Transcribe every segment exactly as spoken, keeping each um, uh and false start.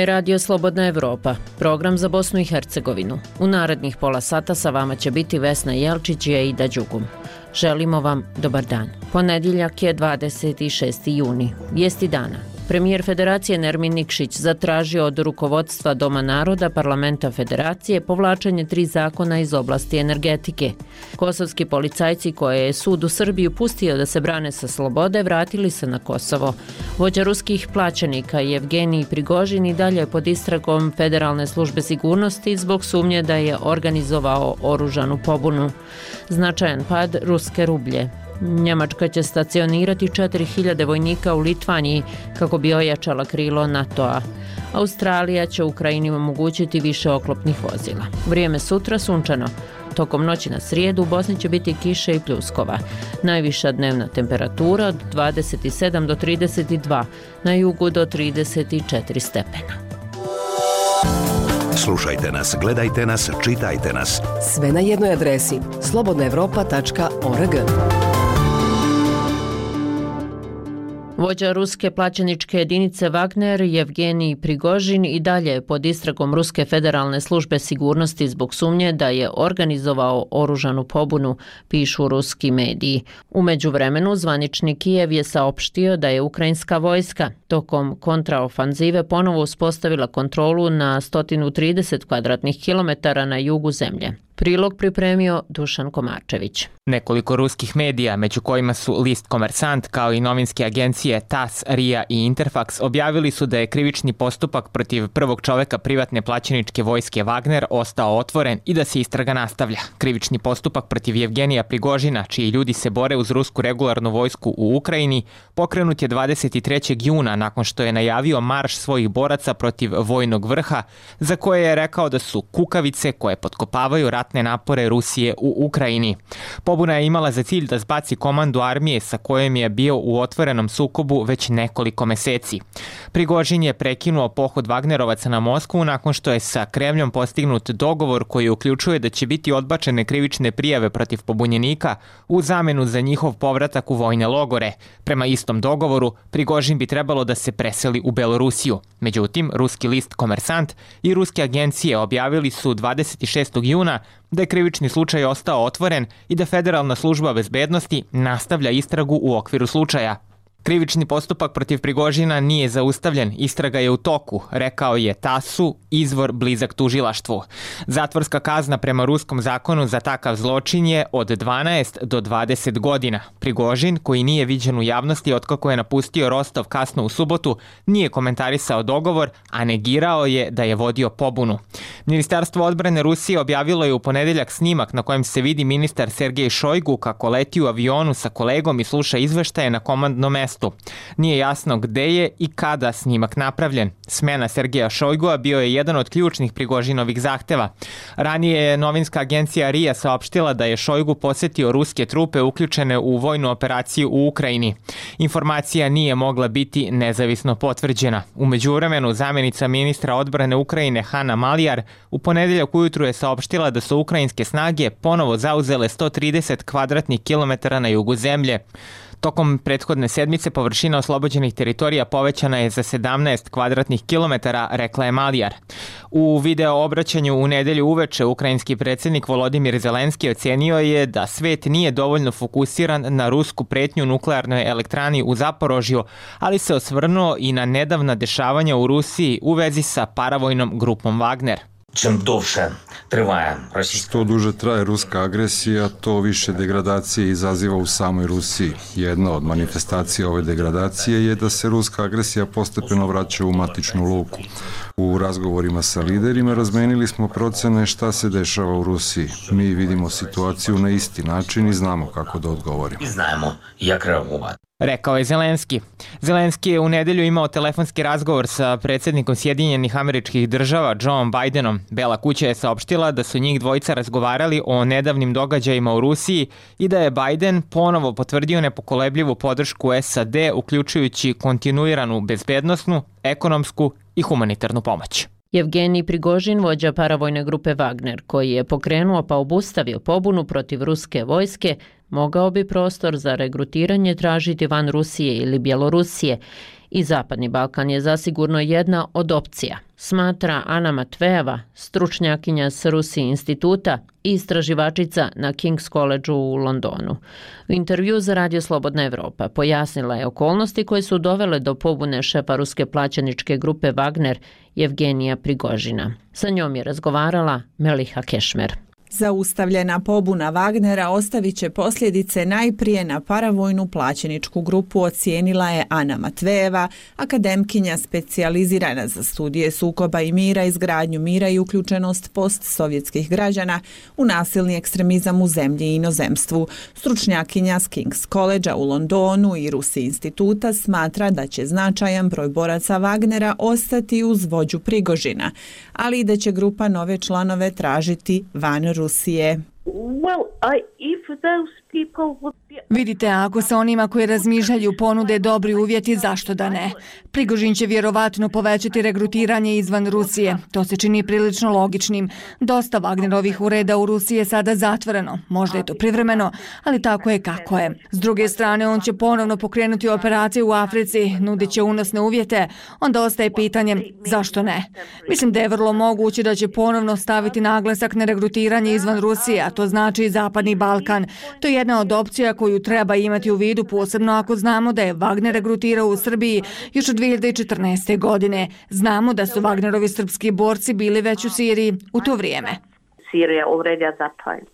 je Radio Slobodna Evropa, program za Bosnu i Hercegovinu. U narednih pola sata sa vama će biti Vesna Jelčić i Aida Đugum. Želimo vam dobar dan. Ponedjeljak je dvadeset šesti juni, vijesti dana. Premijer Federacije Nermin Nikšić zatražio od rukovodstva Doma naroda Parlamenta Federacije povlačenje tri zakona iz oblasti energetike. Kosovski policajci koje je sud u Srbiju pustio da se brane sa slobode vratili se na Kosovo. Vođa ruskih plaćenika Jevgenij Prigožin i dalje je pod istragom Federalne službe sigurnosti zbog sumnje da je organizovao oružanu pobunu. Značajan pad ruske rublje. Njemačka će stacionirati četiri hiljade vojnika u Litvaniji kako bi ojačala krilo NATO-a. Australija će Ukrajini omogućiti više oklopnih vozila. Vrijeme sutra sunčano. Tokom noći na srijedu u Bosni će biti kiše i pljuskova. Najviša dnevna temperatura od dvadeset sedam do trideset dva, na jugu do trideset četiri stepena. Slušajte nas, gledajte nas, čitajte nas. Sve na jednoj adresi slobodna evropa tačka org. Vođa ruske plaćeničke jedinice Wagner, Jevgenij Prigožin, i dalje je pod istragom Ruske federalne službe sigurnosti zbog sumnje da je organizovao oružanu pobunu, pišu ruski mediji. U međuvremenu zvanični Kijev je saopštio da je ukrajinska vojska tokom kontraofanzive ponovo uspostavila kontrolu na sto trideset kvadratnih kilometara na jugu zemlje. Prilog pripremio Dušan Komarčević. Nekoliko ruskih medija, među kojima su List Komersant kao i novinske agencije T A S, R I A i Interfax, objavili su da je krivični postupak protiv prvog čoveka privatne plaćeničke vojske Wagner ostao otvoren i da se istraga nastavlja. Krivični postupak protiv Jevgenija Prigožina, čiji ljudi se bore uz rusku regularnu vojsku u Ukrajini, pokrenut je dvadeset trećeg juna nakon što je najavio marš svojih boraca protiv vojnog vrha, za koje je rekao da su kukavice koje potkopavaju ratne napore Rusije u Ukrajini. Pobuna je imala za cilj da zbaci komandu armije sa kojom je bio u otvorenom sukobu već nekoliko meseci. Prigožin je prekinuo pohod Wagnerovaca na Moskvu nakon što je sa Kremljom postignut dogovor koji uključuje da će biti odbačene krivične prijave protiv pobunjenika u zamenu za njihov povratak u vojne logore. Prema istom dogovoru, Prigožin bi trebalo da se preseli u Belorusiju. Međutim, ruski list Komersant i ruske agencije objavili su dvadeset šestog juna da je krivični slučaj ostao otvoren i da Federalna služba bezbednosti nastavlja istragu u okviru slučaja. Krivični postupak protiv Prigožina nije zaustavljen, istraga je u toku, rekao je T A S-u, izvor blizak tužilaštvu. Zatvorska kazna prema ruskom zakonu za takav zločin je od dvanaest do dvadeset godina. Prigožin, koji nije viđen u javnosti otkako je napustio Rostov kasno u subotu, nije komentarisao dogovor, a negirao je da je vodio pobunu. Ministarstvo odbrane Rusije objavilo je u ponedeljak snimak na kojem se vidi ministar Sergej Šojgu kako leti u avionu sa kolegom i sluša izveštaje na komandnom mestu. Nije jasno gde je i kada snimak napravljen. Smena Sergeja Šojgua bio je jedan od ključnih Prigožinovih zahteva. Ranije je novinska agencija R I A saopštila da je Šojgu posetio ruske trupe uključene u vojnu operaciju u Ukrajini. Informacija nije mogla biti nezavisno potvrđena. U međuvremenu, zamjenica ministra odbrane Ukrajine Hana Malijar u ponedeljak ujutru je saopštila da su ukrajinske snage ponovo zauzele sto trideset kvadratnih kilometara na jugu zemlje. Tokom prethodne sedmice površina oslobođenih teritorija povećana je za sedamnaest kvadratnih kilometara, rekla je Malijar. U video obraćanju u nedelju uveče ukrajinski predsjednik Volodimir Zelenski ocenio je da svet nije dovoljno fokusiran na rusku pretnju nuklearnoj elektrani u Zaporožju, ali se osvrnuo i na nedavna dešavanja u Rusiji u vezi sa paravojnom grupom Wagner. Što duže traje ruska agresija, to više degradacije izaziva u samoj Rusiji. Jedna od manifestacija ove degradacije je da se ruska agresija postepeno vraća u matičnu luku. U razgovorima sa liderima razmenili smo procene šta se dešava u Rusiji. Mi vidimo situaciju na isti način i znamo kako da odgovorimo. Rekao je Zelenski. Zelenski je u nedelju imao telefonski razgovor sa predsjednikom Sjedinjenih Američkih Država Joe Bidenom. Bela kuća je saopštila da su njih dvojica razgovarali o nedavnim događajima u Rusiji i da je Biden ponovo potvrdio nepokolebljivu podršku S A D, uključujući kontinuiranu bezbednosnu, ekonomsku i humanitarnu pomoć. Jevgenij Prigožin, vođa paravojne grupe Wagner, koji je pokrenuo pa obustavio pobunu protiv ruske vojske, mogao bi prostor za regrutiranje tražiti van Rusije ili Bjelorusije I Zapadni Balkan je zasigurno jedna od opcija, smatra Ana Matvejeva, stručnjakinja s Rusi instituta i istraživačica na King's Collegeu u Londonu. U intervju za Radio Slobodna Evropa pojasnila je okolnosti koje su dovele do pobune šefa ruske plaćeničke grupe Wagner Jevgenija Prigožina. Sa njom je razgovarala Meliha Kešmer. Zaustavljena pobuna Wagnera ostavit će posljedice najprije na paravojnu plaćeničku grupu, ocijenila je Ana Matvejeva, akademkinja specijalizirana za studije sukoba i mira, izgradnju mira i uključenost postsovjetskih građana u nasilni ekstremizam u zemlji i inozemstvu. Stručnjakinja s King's Collegea u Londonu i Rusi instituta smatra da će značajan broj boraca Wagnera ostati uz vođu Prigožina, ali i da će grupa nove članove tražiti van Rusije. Well, I, if those people would be... Vidite, ako se onima koji razmišljaju ponude dobri uvjeti, zašto da ne? Prigožin će vjerovatno povećati regrutiranje izvan Rusije. To se čini prilično logičnim. Dosta Wagnerovih ureda u Rusiji je sada zatvoreno. Možda je to privremeno, ali tako je kako je. S druge strane, on će ponovno pokrenuti operacije u Africi, nudit će unosne uvjete. Onda ostaje pitanje, zašto ne? Mislim da je vrlo moguće da će ponovno staviti naglasak na regrutiranje izvan Rusije, a to znači i Zapadni Balkan. To je jedna od opcija koju treba imati u vidu, posebno ako znamo da je Wagner regrutirao u Srbiji još od dvije hiljade četrnaeste. godine. Znamo da su Wagnerovi srpski borci bili već u Siriji u to vrijeme. Syria already at that time.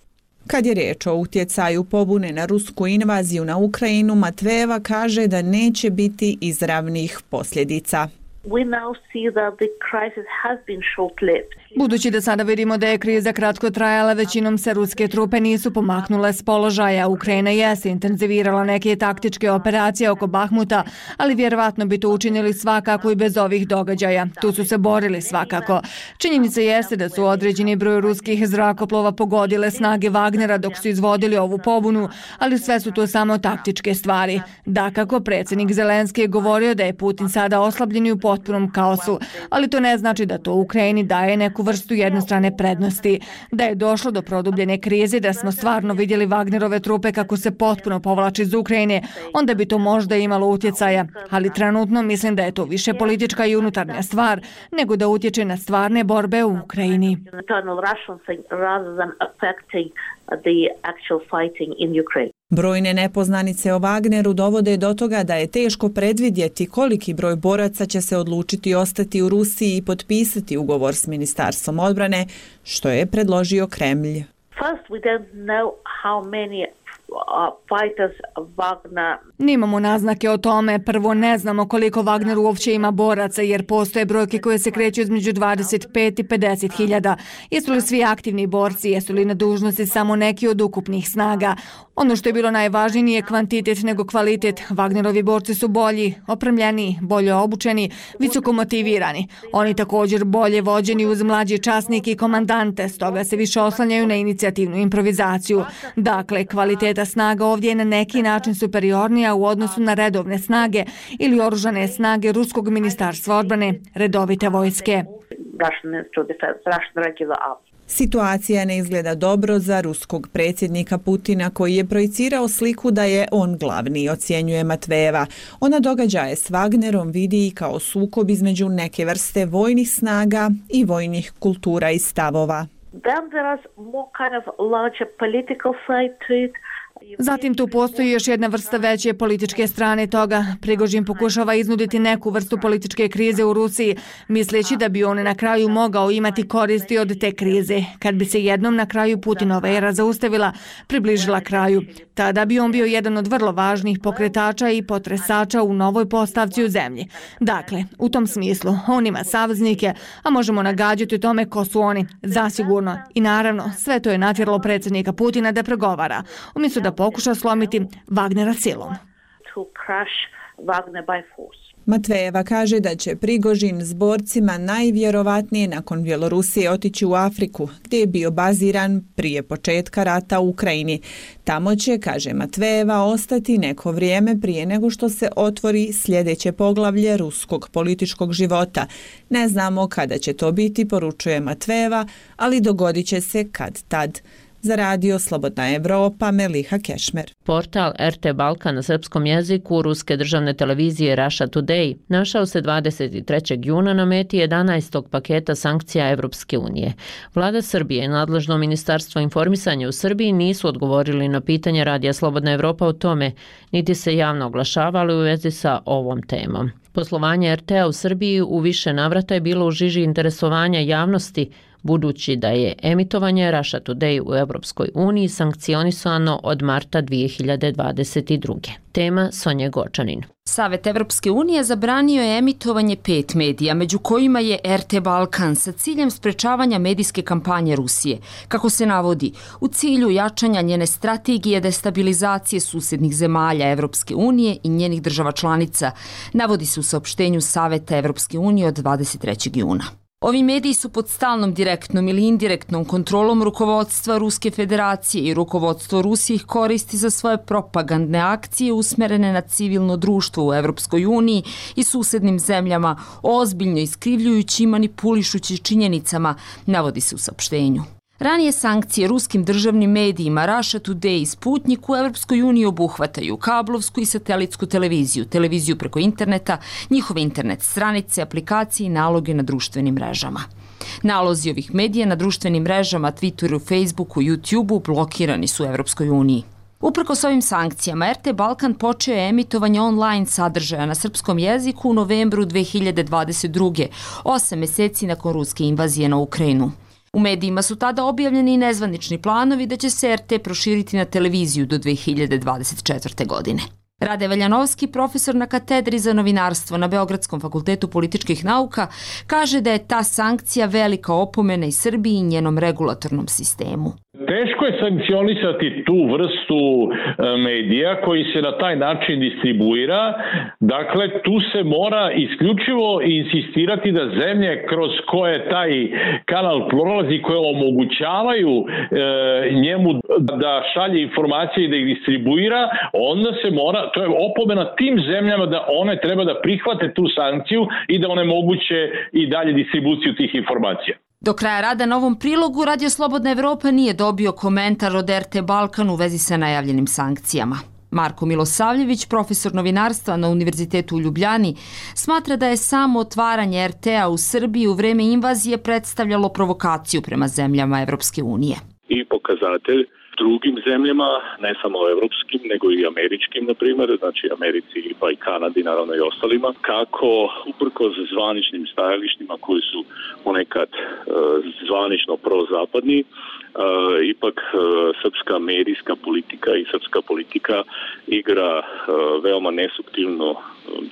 Kad je riječ o utjecaju pobune na rusku invaziju na Ukrajinu, Matvejeva kaže da neće biti izravnih posljedica. We now see that the crisis has been short-lived. Budući da sada vidimo da je kriza kratko trajala, većinom se ruske trupe nisu pomaknule s položaja. Ukrajina jeste intenzivirala neke taktičke operacije oko Bahmuta, ali vjerovatno bi to učinili svakako i bez ovih događaja. Tu su se borili svakako. Činjenica jeste da su određeni broj ruskih zrakoplova pogodile snage Wagnera dok su izvodili ovu pobunu, ali sve su to samo taktičke stvari. Dakako, predsjednik Zelenski je govorio da je Putin sada oslabljen i u potpunom kaosu, ali to ne znači da to Ukrajini daje neku vrstu jednostrane prednosti. Da je došlo do produbljene krize, da smo stvarno vidjeli Wagnerove trupe kako se potpuno povlači iz Ukrajine, onda bi to možda imalo utjecaja, ali trenutno mislim da je to više politička i unutarnja stvar, nego da utječe na stvarne borbe u Ukrajini. Brojne nepoznanice o Wagneru dovode do toga da je teško predvidjeti koliki broj boraca će se odlučiti ostati u Rusiji i potpisati ugovor s Ministarstvom odbrane, što je predložio Kremlj. First, we don't know how many fighters Wagner. Nimamo naznake o tome. Prvo, ne znamo koliko Wagner uopće ima boraca, jer postoje brojke koje se kreću između dvadeset pet i pedeset hiljada. Jesu li svi aktivni borci, jesu li na dužnosti samo neki od ukupnih snaga? Ono što je bilo najvažnije nije kvantitet nego kvalitet. Wagnerovi borci su bolji, opremljeni, bolje obučeni, visoko motivirani. Oni također bolje vođeni uz mlađe časnike i komandante, stoga se više oslanjaju na inicijativnu improvizaciju. Dakle, kvaliteta snaga ovdje je na neki način superiornija u odnosu na redovne snage ili oružane snage Ruskog ministarstva odbrane, redovite vojske. Situacija ne izgleda dobro za ruskog predsjednika Putina, koji je projicirao sliku da je on glavni, ocjenjuje Matvejeva. Ona događaje s Wagnerom vidi i kao sukob između neke vrste vojnih snaga i vojnih kultura i stavova. Then there is more kind of larger political side to it. Zatim tu postoji još jedna vrsta veće političke strane toga. Prigožin pokušava iznuditi neku vrstu političke krize u Rusiji, misleći da bi on na kraju mogao imati koristi od te krize. Kad bi se jednom na kraju Putinova era zaustavila, približila kraju, tada bi on bio jedan od vrlo važnih pokretača i potresača u novoj postavci u zemlji. Dakle, u tom smislu, on ima saveznike, a možemo nagađati o tome ko su oni, zasigurno. I naravno, sve to je natjeralo predsjednika Putina da pregovara, umjesto da pokuša slomiti Wagnera silom. Matvejeva kaže da će Prigožin s borcima najvjerovatnije nakon Bjelorusije otići u Afriku, gdje je bio baziran prije početka rata u Ukrajini. Tamo će, kaže Matvejeva, ostati neko vrijeme prije nego što se otvori sljedeće poglavlje ruskog političkog života. Ne znamo kada će to biti, poručuje Matvejeva, ali dogodit će se kad tad. Za radio Slobodna Evropa, Meliha Kešmer. Portal R T Balkan na srpskom jeziku ruske državne televizije Russia Today našao se dvadeset trećeg juna na meti jedanaestog paketa sankcija Evropske unije. Vlada Srbije i nadležno ministarstvo informisanja u Srbiji nisu odgovorili na pitanje radija Slobodna Evropa o tome, niti se javno oglašavali u vezi sa ovom temom. Poslovanje R T A u Srbiji u više navrata je bilo u žiži interesovanja javnosti, budući da je emitovanje Russia Today u Evropskoj uniji sankcionisano od marta dvije hiljade dvadeset druge. Tema Sonja Gočanin. Savet Evropske unije zabranio je emitovanje pet medija, među kojima je R T Balkan, sa ciljem sprečavanja medijske kampanje Rusije. Kako se navodi, u cilju jačanja njene strategije destabilizacije susednih zemalja Evropske unije i njenih država članica, navodi se u saopštenju Saveta Evropske unije od dvadeset trećeg juna. Ovi mediji su pod stalnom direktnom ili indirektnom kontrolom rukovodstva Ruske federacije i rukovodstvo Rusije ih koristi za svoje propagandne akcije usmerene na civilno društvo u Evropskoj uniji i susednim zemljama, ozbiljno iskrivljujući i manipulišući činjenicama, navodi se u saopštenju. Ranije sankcije ruskim državnim medijima Russia Today i Sputnik u Evropskoj uniji obuhvataju kablovsku i satelitsku televiziju, televiziju preko interneta, njihove internet stranice, aplikacije i naloge na društvenim mrežama. Nalozi ovih medija na društvenim mrežama, Twitteru, Facebooku, YouTubeu blokirani su u Evropskoj uniji. Uprkos ovim sankcijama, R T Balkan počeo je emitovanje online sadržaja na srpskom jeziku u novembru dve hiljade dvadeset druge, osam meseci nakon ruske invazije na Ukrajinu. U medijima su tada objavljeni i nezvanični planovi da će se R T proširiti na televiziju do dve hiljade dvadeset četvrte. godine. Rade Veljanovski, profesor na katedri za novinarstvo na Beogradskom fakultetu političkih nauka, kaže da je ta sankcija velika opomena i Srbiji i njenom regulatornom sistemu. Teško je sankcionisati tu vrstu medija koji se na taj način distribuira. Dakle, tu se mora isključivo insistirati da zemlje kroz koje taj kanal prolazi, koje omogućavaju e, njemu da šalje informacije i da ih distribuira, onda se mora, to je opomena tim zemljama da one treba da prihvate tu sankciju i da onemoguće i dalje distribuciju tih informacija. Do kraja rada na ovom prilogu Radio Slobodna Evropa nije dobio komentar od R T Balkan u vezi sa najavljenim sankcijama. Marko Milosavljević, profesor novinarstva na Univerzitetu u Ljubljani, smatra da je samo otvaranje R T A u Srbiji u vreme invazije predstavljalo provokaciju prema zemljama Evropske unije. I pokazatelj drugim zemljama, ne samo evropskim, nego i američkim, na primjer, znači Americi pa i Kanadi, naravno i ostalima, kako uprkos zvaničnim stajalištima koji su ponekad e, zvanično prozapadni, e, ipak e, srpska medijska politika i srpska politika igra e, veoma nesubtilnu e,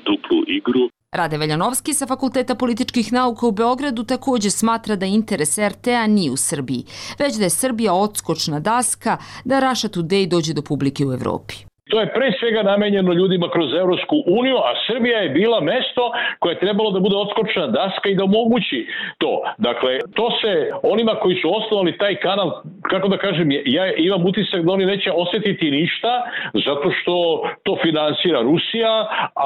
duplu igru. Rade Veljanovski sa Fakulteta političkih nauka u Beogradu također smatra da interes R T A nije u Srbiji, već da je Srbija odskočna daska da Russia Today dođe do publike u Evropi. To je pre svega namenjeno ljudima kroz Evropsku uniju, a Srbija je bila mesto koje je trebalo da bude odskočna daska i da omogući to. Dakle, to se onima koji su osnovali taj kanal, kako da kažem, ja imam utisak da oni neće osjetiti ništa, zato što to finansira Rusija,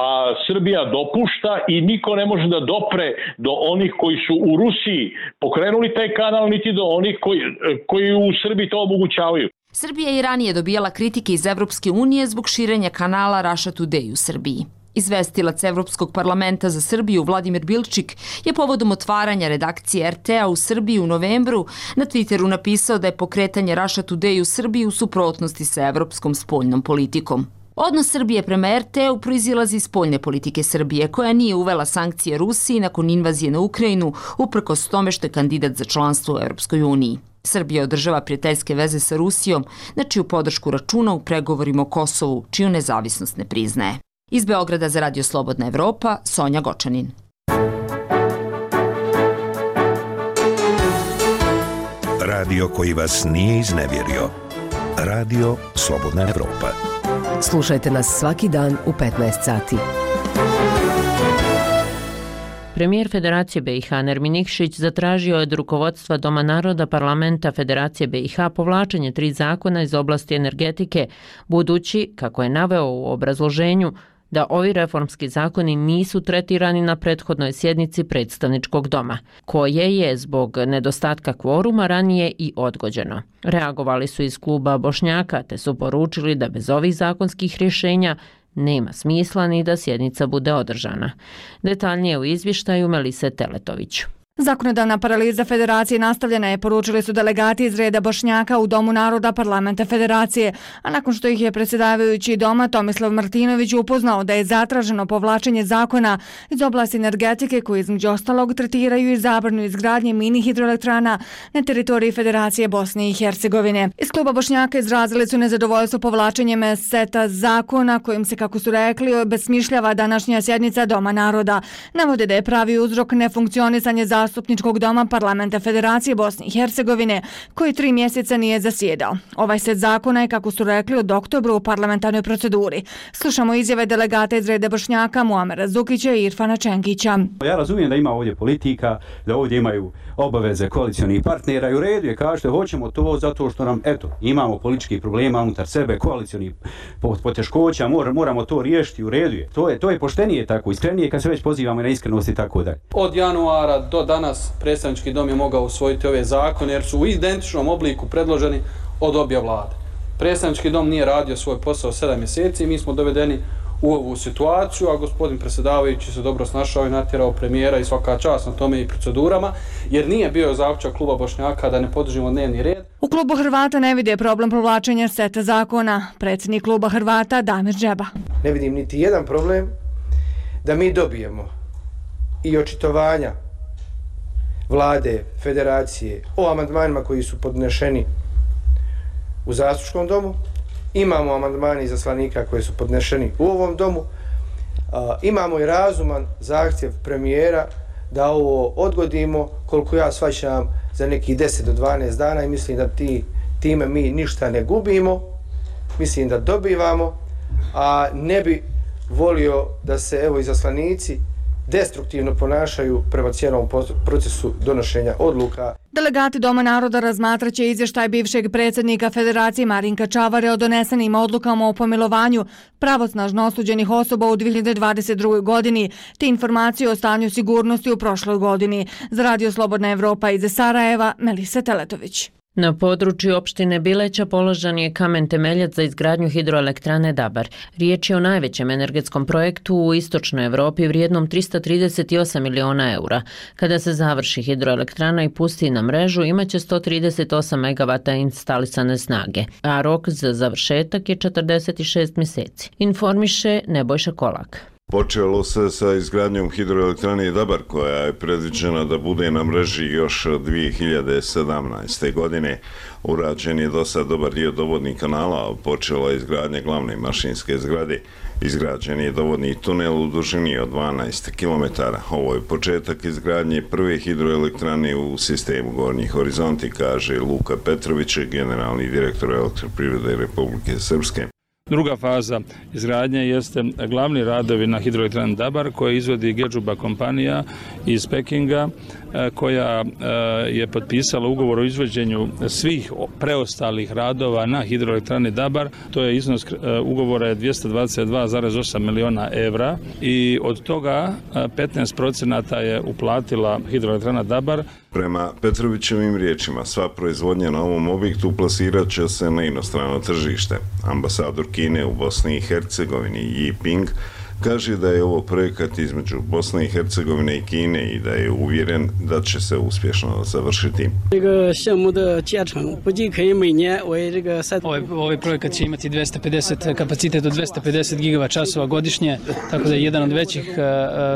a Srbija dopušta i niko ne može da dopre do onih koji su u Rusiji pokrenuli taj kanal, niti do onih koji, koji u Srbiji to omogućavaju. Srbija je i ranije dobijala kritike iz Evropske unije zbog širenja kanala Russia Today u Srbiji. Izvestilac Evropskog parlamenta za Srbiju Vladimir Bilčik je povodom otvaranja redakcije R T A u Srbiji u novembru na Twitteru napisao da je pokretanje Russia Today u Srbiji u suprotnosti sa evropskom spoljnom politikom. Odnos Srbije prema R T A-u proizilazi iz spoljne politike Srbije, koja nije uvela sankcije Rusiji nakon invazije na Ukrajinu, uprkos tome što je kandidat za članstvo u Evropskoj uniji. Srbija održava prijateljske veze sa Rusijom, na čiju podršku računa u pregovorima o Kosovu, čiju nezavisnost ne priznaje. Iz Beograda za Radio Slobodna Evropa, Sonja Gočanin. Radio koji vas nije iznevjerio. Radio Slobodna Evropa. Slušajte nas svaki dan u petnaest sati. Premijer Federacije B i H Nermin Nikšić zatražio je od rukovodstva Doma naroda Parlamenta Federacije B i H povlačenje tri zakona iz oblasti energetike, budući, kako je naveo u obrazloženju, da ovi reformski zakoni nisu tretirani na prethodnoj sjednici predstavničkog doma, koje je zbog nedostatka kvoruma ranije i odgođeno. Reagovali su iz kluba Bošnjaka te su poručili da bez ovih zakonskih rješenja nema smisla ni da sjednica bude održana. Detaljnije u izvještaju Melise Teletović. Zakonodavna paraliza Federacije nastavljena je, poručili su delegati iz reda Bošnjaka u Domu naroda parlamenta Federacije, a nakon što ih je predsjedavajući doma Tomislav Martinović upoznao da je zatraženo povlačenje zakona iz oblasti energetike koji između ostalog tretiraju i zabranu izgradnje mini hidroelektrana na teritoriji Federacije Bosne i Hercegovine. Iz kluba Bošnjaka izrazili su nezadovoljstvo povlačenjem seta zakona kojim se, kako su rekli, obesmišljava današnja sjednica Doma naroda. Navode da je pravi uzrok nefunkcionisanje zakona Zastupničkog doma parlamenta Federacije Bosne i Hercegovine, koji tri mjeseca nije zasjedao. Ovaj set zakona je, kako su rekli, od oktobra u parlamentarnoj proceduri. Slušamo izjave delegata iz reda Bošnjaka Muamera Zukića i Irfana Čengića. Ja razumijem da ima ovdje politika, da ovdje imaju obaveze koalicionih partnera i u redu je, kažete, hoćemo to zato što nam, eto, imamo političkih problema unutar sebe, koalicionih poteškoća, mor, moramo to riješiti, u redu je. To je, to je poštenije tako, iskrenije kad se već pozivamo na iskrenost i tako dalje. Od januara do danas predstavnički dom je mogao usvojiti ove zakone jer su u identičnom obliku predloženi od obje vlade. Predstavnički dom nije radio svoj posao sedam mjeseci i mi smo dovedeni u ovu situaciju, a gospodin predsjedavajući se dobro snašao i natjerao premijera i svaka čast na tome i procedurama, jer nije bio zaključak kluba Bošnjaka da ne podržimo dnevni red. U klubu Hrvata ne vide problem povlačenja seta zakona. Predsjednik kluba Hrvata Damir Džeba. Ne vidim niti jedan problem da mi dobijemo i očitovanja vlade, federacije o amandmanima koji su podnešeni u Zastupničkom domu. Imamo amandmani izaslanika koji su podnešeni u ovom domu. A, imamo i razuman zahtjev premijera da ovo odgodimo, koliko ja shvaćam, za nekih deset do dvanaest dana i mislim da ti, time mi ništa ne gubimo, mislim da dobivamo, a ne bi volio da se evo izaslanici destruktivno ponašaju prema cijelom procesu donošenja odluka. Delegati Doma naroda razmatraće izvještaj bivšeg predsjednika Federacije Marinka Čavare o donesenim odlukama o pomilovanju pravosnažno osuđenih osoba u dvije hiljade dvadeset drugoj godini, te informacije o stanju sigurnosti u prošloj godini. Za Radio Slobodna Evropa iz Sarajeva, Melisa Teletović. Na području opštine Bileća položen je kamen temeljac za izgradnju hidroelektrane Dabar. Riječ je o najvećem energetskom projektu u istočnoj Evropi vrijednom trista trideset osam miliona eura. Kada se završi hidroelektrana i pusti na mrežu, imaće sto trideset osam megavata instalisane snage, a rok za završetak je četrdeset šest mjeseci. Informiše Nebojša Kolak. Počelo se sa izgradnjom hidroelektrane Dabar koja je predviđena da bude na mreži još dvije hiljade sedamnaeste. godine. Urađen je do sad dobar dio dovodnih kanala, počela je izgradnja glavne mašinske zgrade. Izgrađen je dovodni tunel u dužini od dvanaest kilometara. Ovo je početak izgradnje prve hidroelektrane u sistemu Gornji horizonti, kaže Luka Petrović, generalni direktor Elektroprivrede Republike Srpske. Druga faza izgradnje jeste glavni radovi na hidroelektrani Dabar koje izvodi Gedžuba kompanija iz Pekinga koja je potpisala ugovor o izvođenju svih preostalih radova na hidroelektrani Dabar. To je iznos ugovora je dvjesto dvadeset dva zarez osam miliona evra i od toga petnaest procenata je uplatila hidroelektrana Dabar. Prema Petrovićevim riječima, sva proizvodnja na ovom objektu plasirat će se na inostrano tržište. Ambasador Kine u Bosni i Hercegovini Yi Ping kaže da je ovo projekat između Bosne i Hercegovine i Kine i da je uvjeren da će se uspješno završiti. Ovaj, ovaj projekat će imati dvjesto pedeset kapacitet od dvjesto pedeset gigava časova godišnje, tako da je jedan od većih,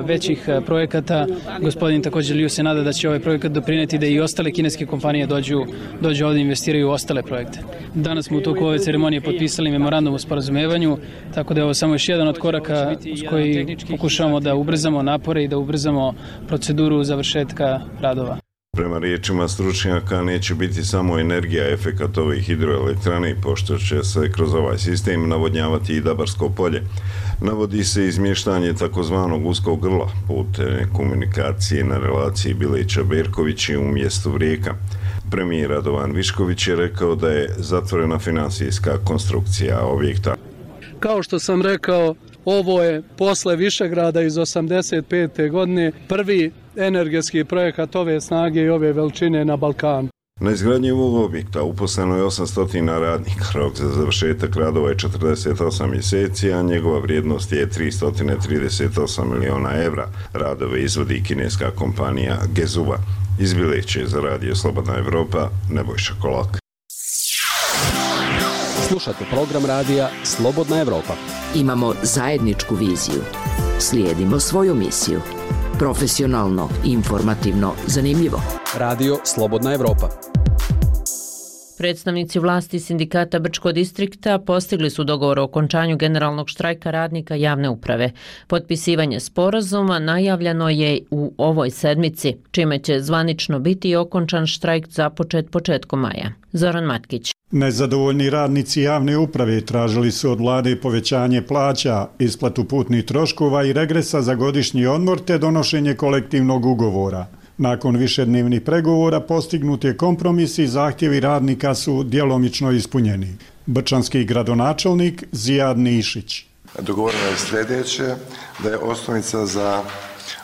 većih projekata. Gospodin također Liu se nada da će ovaj projekat doprinijeti da i ostale kineske kompanije dođu, dođu ovdje i investiraju u ostale projekte. Danas smo u toku ove ceremonije potpisali memorandum o sporazumevanju, tako da je ovo samo još jedan od koraka s koji pokušavamo da ubrzamo napore i da ubrzamo proceduru završetka radova. Prema riječima stručnjaka neće biti samo energija efekat ove hidroelektrane, pošto će se kroz ovaj sistem navodnjavati i Dabarsko polje. Navodi se izmještanje takozvanog uskog grla putem komunikacije na relaciji Bileća-Berkovići u mjestu Rijeka. Premijer Radovan Višković je rekao da je zatvorena finansijska konstrukcija objekta. Kao što sam rekao, Ovo je posle Višegrada iz osamdeset pete godine prvi energetski projekat ove snage i ove veličine na Balkanu. Na izgradnji ovog objekta uposleno je osamsto radnika, rok za završetak radova je četrdeset osam mjeseci, a njegova vrijednost je tristo trideset osam miliona evra. Radove izvodi kineska kompanija Gezuva. Iz Bileće za Radio Slobodna Evropa, Nebojša Kolak. Slušate program radija Slobodna Evropa. Imamo zajedničku viziju. Slijedimo svoju misiju. Profesionalno, informativno, zanimljivo. Radio Slobodna Evropa. Predstavnici vlasti sindikata Brčko distrikta postigli su dogovor o okončanju generalnog štrajka radnika javne uprave. Potpisivanje sporazuma najavljeno je u ovoj sedmici, čime će zvanično biti okončan štrajk započet početkom maja. Zoran Matkić. Nezadovoljni radnici javne uprave tražili su od vlade povećanje plaća, isplatu putnih troškova i regresa za godišnji odmor te donošenje kolektivnog ugovora. Nakon višednevnih pregovora postignut je kompromis i zahtjevi radnika su djelomično ispunjeni. Brčanski gradonačelnik Zijad Nišić. Dogovoreno je sljedeće, da je osnovica za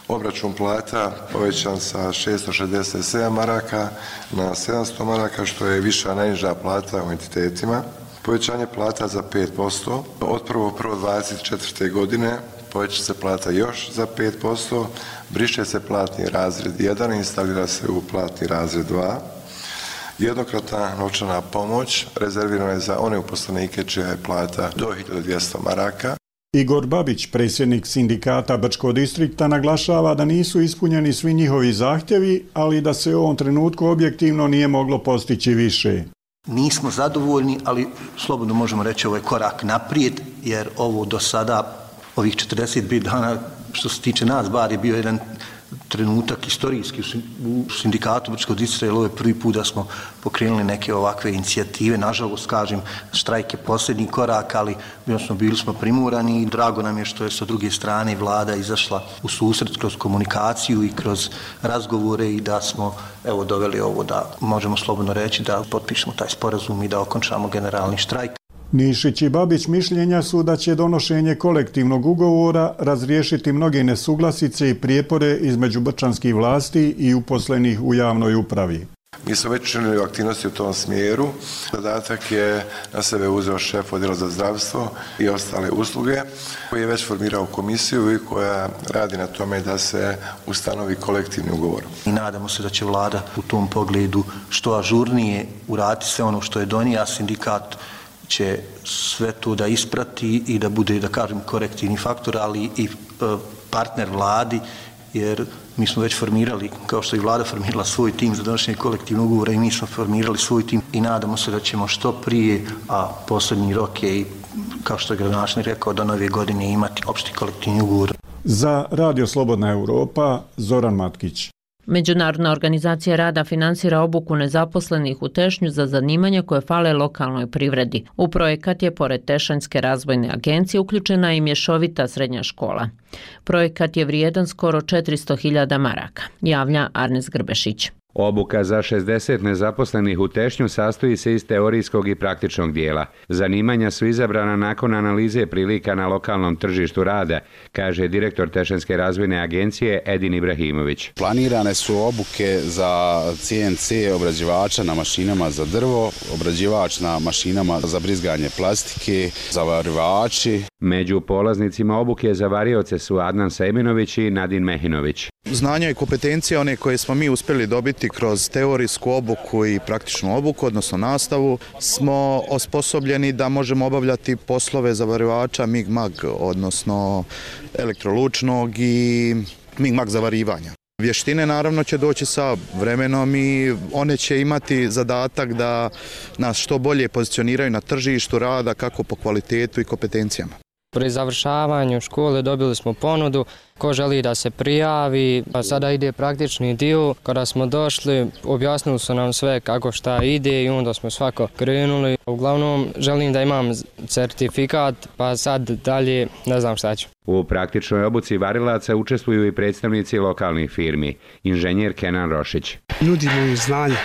obračun plata povećan sa šessto šezdeset sedam maraka na sedamsto maraka, što je viša najniža plata u entitetima. Povećanje plata za pet posto. Od prvog prvog dvadeset četvrte godine poveća se plata još za pet posto, briše se platni razred jedan i instalira se u platni razred dva. Jednokratna novčana pomoć rezervirana je za one uposlenike čija je plata do hiljadu dvjesto maraka. Igor Babić, predsjednik sindikata Brčko distrikta, naglašava da nisu ispunjeni svi njihovi zahtjevi, ali da se u ovom trenutku objektivno nije moglo postići više. Nismo zadovoljni, ali slobodno možemo reći ovo je korak naprijed, jer ovo do sada, ovih četrdeset pet dana, što se tiče nas, bar je bio jedan trenutak istorijski u sindikatu Brčkog distrikta, jer ovo je prvi put da smo pokrenuli neke ovakve inicijative. Nažalost, kažem, štrajk je posljednji korak, ali smo bili smo primorani i drago nam je što je sa druge strane vlada izašla u susret kroz komunikaciju i kroz razgovore i da smo evo doveli ovo da možemo slobodno reći da potpišemo taj sporazum i da okončamo generalni štrajk. Nišić i Babić mišljenja su da će donošenje kolektivnog ugovora razriješiti mnoge nesuglasice i prijepore između brčanskih vlasti i uposlenih u javnoj upravi. Mi smo već činili aktivnosti u tom smjeru. Zadatak je na sebe uzeo šef odjela za zdravstvo i ostale usluge, koji je već formirao komisiju i koja radi na tome da se ustanovi kolektivni ugovor. I nadamo se da će vlada u tom pogledu što ažurnije uraditi sve ono što je donio, a sindikat će sve to da isprati i da bude, da kažem, korektivni faktor, ali i partner vladi, jer mi smo već formirali, kao što i vlada formirala svoj tim za donošenje kolektivnog ugovora, i mi smo formirali svoj tim i nadamo se da ćemo što prije, a posljednji rok je, kao što je gradonačelnik rekao, do nove godine imati opšti kolektivni ugovor. Za Radio Slobodna Evropa, Zoran Matkić. Međunarodna organizacija rada finansira obuku nezaposlenih u Tešnju za zanimanja koje fale lokalnoj privredi. U projekat je, pored Tešanjske razvojne agencije, uključena i mješovita srednja škola. Projekat je vrijedan skoro četiristo hiljada maraka, javlja Arnes Grbešić. Obuka za šezdeset nezaposlenih u Tešnju sastoji se iz teorijskog i praktičnog dijela. Zanimanja su izabrana nakon analize prilika na lokalnom tržištu rada, kaže direktor Tešanjske razvojne agencije Edin Ibrahimović. Planirane su obuke za C N C obrađivača na mašinama za drvo, obrađivač na mašinama za brizganje plastike, zavarivači. Među polaznicima obuke za varioce su Adnan Sejmenović i Nadin Mehinović. Znanja i kompetencije, one koje smo mi uspjeli dobiti kroz teorijsku obuku i praktičnu obuku, odnosno nastavu, smo osposobljeni da možemo obavljati poslove zavarivača mig-mag, odnosno elektrolučnog i mig-mag zavarivanja. Vještine naravno će doći sa vremenom i one će imati zadatak da nas što bolje pozicioniraju na tržištu rada, kako po kvalitetu i kompetencijama. Pri završavanju škole dobili smo ponudu ko želi da se prijavi, a sada ide praktični dio. Kada smo došli, objasnili su nam sve kako šta ide i onda smo svako krenuli. Uglavnom želim da imam certifikat, pa sad dalje ne znam šta ću. U praktičnoj obuci varilaca učestvuju i predstavnici lokalnih firmi, inženjer Kenan Rošić. Nudimo im znanje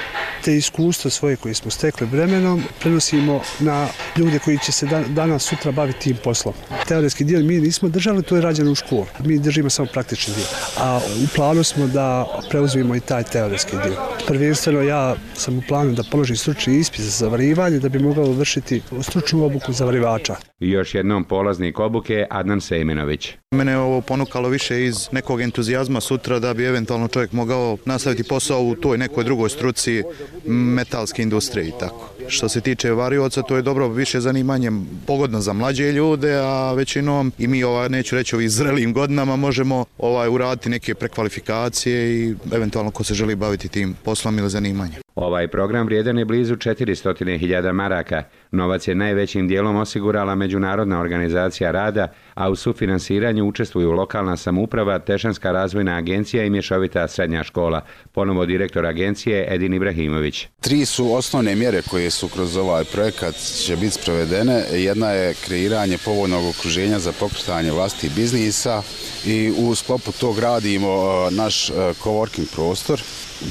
te iskustva svoje koje smo stekli vremenom prenosimo na ljude koji će se dan, danas sutra baviti tim poslom. Teoretski dio mi nismo držali, to je rađeno u školu. Mi držimo samo praktični dio. A u planu smo da preuzmemo i taj teoretski dio. Prvenstveno ja sam u planu da položim stručni ispit za zavarivanje da bi mogao vršiti stručnu obuku zavarivača. Još jednom polaznik obuke Adnan Sejmenović. Mene je ovo ponukalo više iz nekog entuzijazma sutra da bi eventualno čovjek mogao nastaviti posao u toj nekoj drugoj struci metalske industrije i tako. Što se tiče varioca, to je dobro više zanimanje pogodno za mlađe ljude, a većinom i mi, ovaj, neću reći ovih zrelim godinama, možemo ovaj, uraditi neke prekvalifikacije i eventualno ko se želi baviti tim poslom ili zanimanjem. Ovaj program vrijedan je blizu četiristo hiljada maraka. Novac je najvećim dijelom osigurala Međunarodna organizacija rada, a u sufinansiranju učestvuju lokalna samouprava, Tešanska razvojna agencija i mješovita srednja škola. Ponovo direktor agencije Edin Ibrahimović. Tri su osnovne mjere koje su kroz ovaj projekat će biti sprovedene. Jedna je kreiranje povoljnog okruženja za pokretanje vlastitih biznisa i u sklopu tog radimo naš coworking prostor.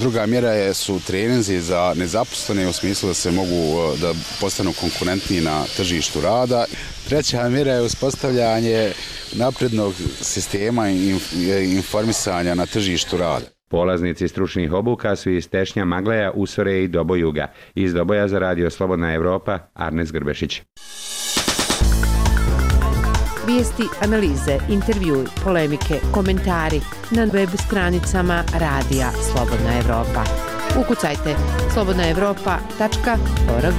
Druga mjera je, su treninzi za nezaposlene u smislu da se mogu da postanu konkurentniji na tržištu rada. Treća mjera je uspostavljanje naprednog sistema informisanja na tržištu rada. Polaznici stručnih obuka su iz Tešnja, Magleja, Usore i Dobojuga. Iz Doboja za Radio Slobodna Evropa, Arnes Grbešić. Vijesti, analize, intervjui, polemike, komentari na web stranicama Radija Slobodna Evropa. Ukucajte slobodna evropa tačka org.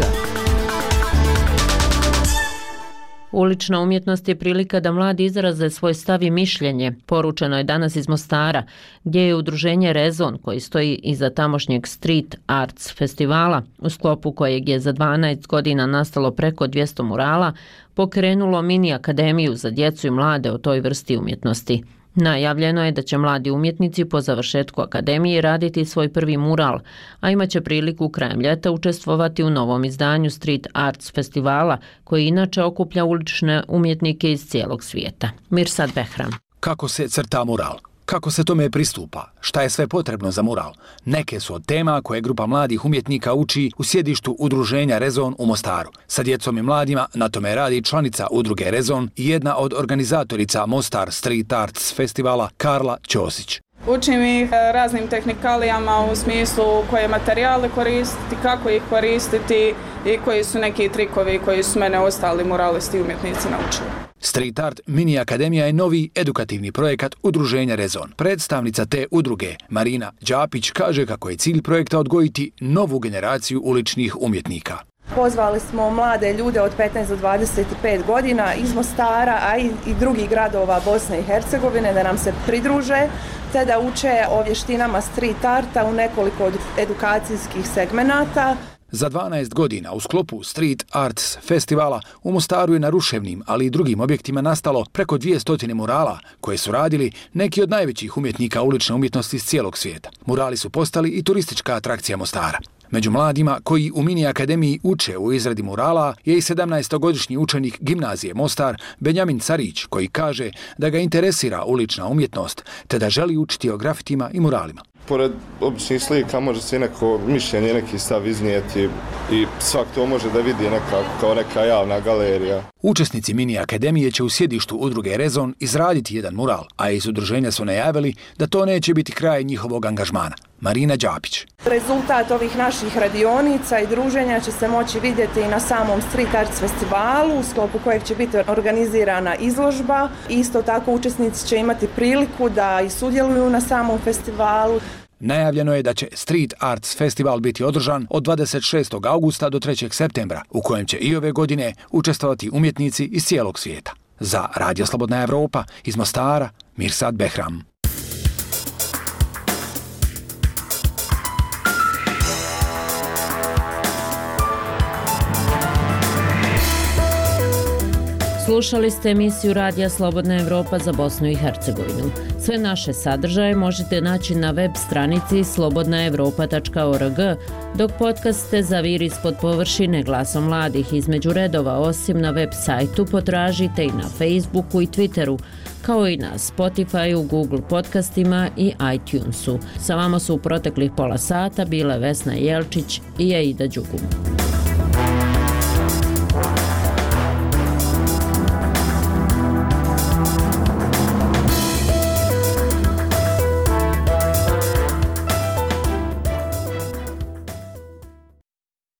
Ulična umjetnost je prilika da mladi izraze svoj stav i mišljenje. Poručeno je danas iz Mostara, gdje je udruženje Rezon, koji stoji iza tamošnjeg Street Arts festivala, u sklopu kojeg je za dvanaest godina nastalo preko dvjesto murala, pokrenulo mini akademiju za djecu i mlade o toj vrsti umjetnosti. Najavljeno je da će mladi umjetnici po završetku akademije raditi svoj prvi mural, a imaće priliku krajem ljeta učestvovati u novom izdanju Street Arts festivala, koji inače okuplja ulične umjetnike iz cijelog svijeta. Mirsad Behram. Kako se crta mural? Kako se tome pristupa? Šta je sve potrebno za mural? Neke su od tema koje grupa mladih umjetnika uči u sjedištu udruženja Rezon u Mostaru. Sa djecom i mladima na tome radi članica udruge Rezon i jedna od organizatorica Mostar Street Arts festivala Karla Ćosić. Učim ih raznim tehnikalijama u smislu koje materijale koristiti, kako ih koristiti i koji su neki trikovi koji su mene ostali muralisti i umjetnici naučili. Street Art Mini Akademija je novi edukativni projekat udruženja Rezon. Predstavnica te udruge, Marina Đapić, kaže kako je cilj projekta odgojiti novu generaciju uličnih umjetnika. Pozvali smo mlade ljude od petnaest do dvadeset pet godina iz Mostara, a i, i drugih gradova Bosne i Hercegovine da nam se pridruže, te da uče o vještinama street arta u nekoliko od edukacijskih segmenata. Za dvanaest godina u sklopu Street Arts festivala u Mostaru je na ruševnim, ali i drugim objektima nastalo preko dvjesto murala koje su radili neki od najvećih umjetnika ulične umjetnosti iz cijelog svijeta. Murali su postali i turistička atrakcija Mostara. Među mladima koji u mini akademiji uče u izradi murala je i sedamnaestogodišnji učenik gimnazije Mostar Benjamin Carić, koji kaže da ga interesira ulična umjetnost te da želi učiti o grafitima i muralima. Pored običnih slika može se neko mišljenje, neki stav iznijeti i svak to može da vidi nekako kao neka javna galerija. Učesnici mini akademije će u sjedištu udruge Rezon izraditi jedan mural, a iz udruženja su najavili da to neće biti kraj njihovog angažmana. Marina Đapić. Rezultat ovih naših radionica i druženja će se moći vidjeti i na samom Street Arts festivalu, u sklopu kojeg će biti organizirana izložba. Isto tako učesnici će imati priliku da i sudjeluju na samom festivalu. Najavljeno je da će Street Arts festival biti održan od dvadeset šestog augusta do trećeg septembra, u kojem će i ove godine učestvovati umjetnici iz cijelog svijeta. Za Radio Slobodna Evropa iz Mostara, Mirsad Behram. Slušali ste emisiju Radija Slobodna Evropa za Bosnu i Hercegovinu. Sve naše sadržaje možete naći na web stranici slobodna evropa tačka org, dok podcaste Zavir ispod površine glasom mladih između redova, osim na web sajtu, potražite i na Facebooku i Twitteru kao i na Spotify, Google podcastima i iTunesu. Sa vama su u proteklih pola sata bile Vesna Jelčić i Aida Đugum.